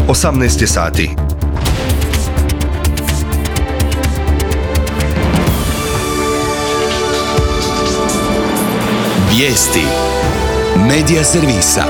18 je sati. Vijesti Medija servisa.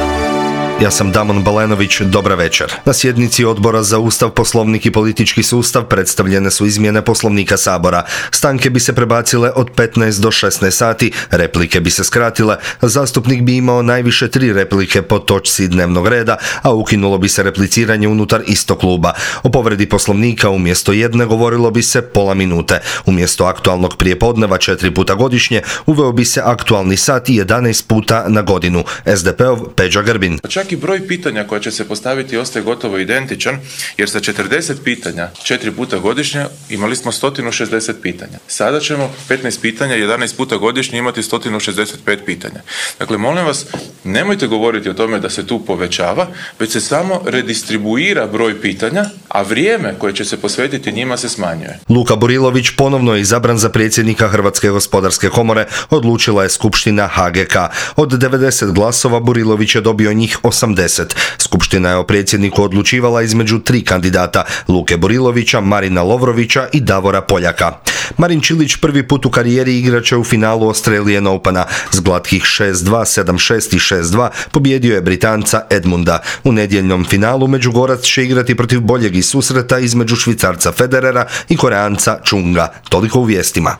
Ja sam Damon Balenović, dobra večer. Na sjednici Odbora za Ustav, Poslovnik i politički sustav predstavljene su izmjene Poslovnika Sabora. Stanke bi se prebacile od 15 do 16 sati, replike bi se skratile, zastupnik bi imao najviše 3 replike po točci dnevnog reda, a ukinulo bi se repliciranje unutar istog kluba. O povredi Poslovnika umjesto jedne govorilo bi se pola minute. Umjesto aktualnog prijepodneva 4 puta godišnje, uveo bi se aktualni sat 11 puta na godinu. SDP-ov Peđa Grbin. Čak i broj pitanja koja će se postaviti ostaje gotovo identičan, jer sa 40 pitanja 4 puta godišnje imali smo 160 pitanja. Sada ćemo 15 pitanja 11 puta godišnje imati 165 pitanja. Dakle, molim vas, nemojte govoriti o tome da se tu povećava, već se samo redistribuira broj pitanja, a vrijeme koje će se posvetiti njima se smanjuje. Luka Burilović ponovno je izabran za predsjednika Hrvatske gospodarske komore, odlučila je Skupština HGK. Od 90 glasova Burilović je dobio njih 80. Skupština je o predsjedniku odlučivala između 3 kandidata, Luke Burilovića, Marina Lovrovića i Davora Poljaka. Marin Čilić prvi put u karijeri igraće u finalu Australian Opena. S glatkih 6-2, 7-6 i 6-2 pobjedio je Britanca Edmunda. U nedjeljnom finalu Međugorac će igrati protiv boljeg iz susreta između Švicarca Federera i Koreanca Chunga. Toliko u vijestima.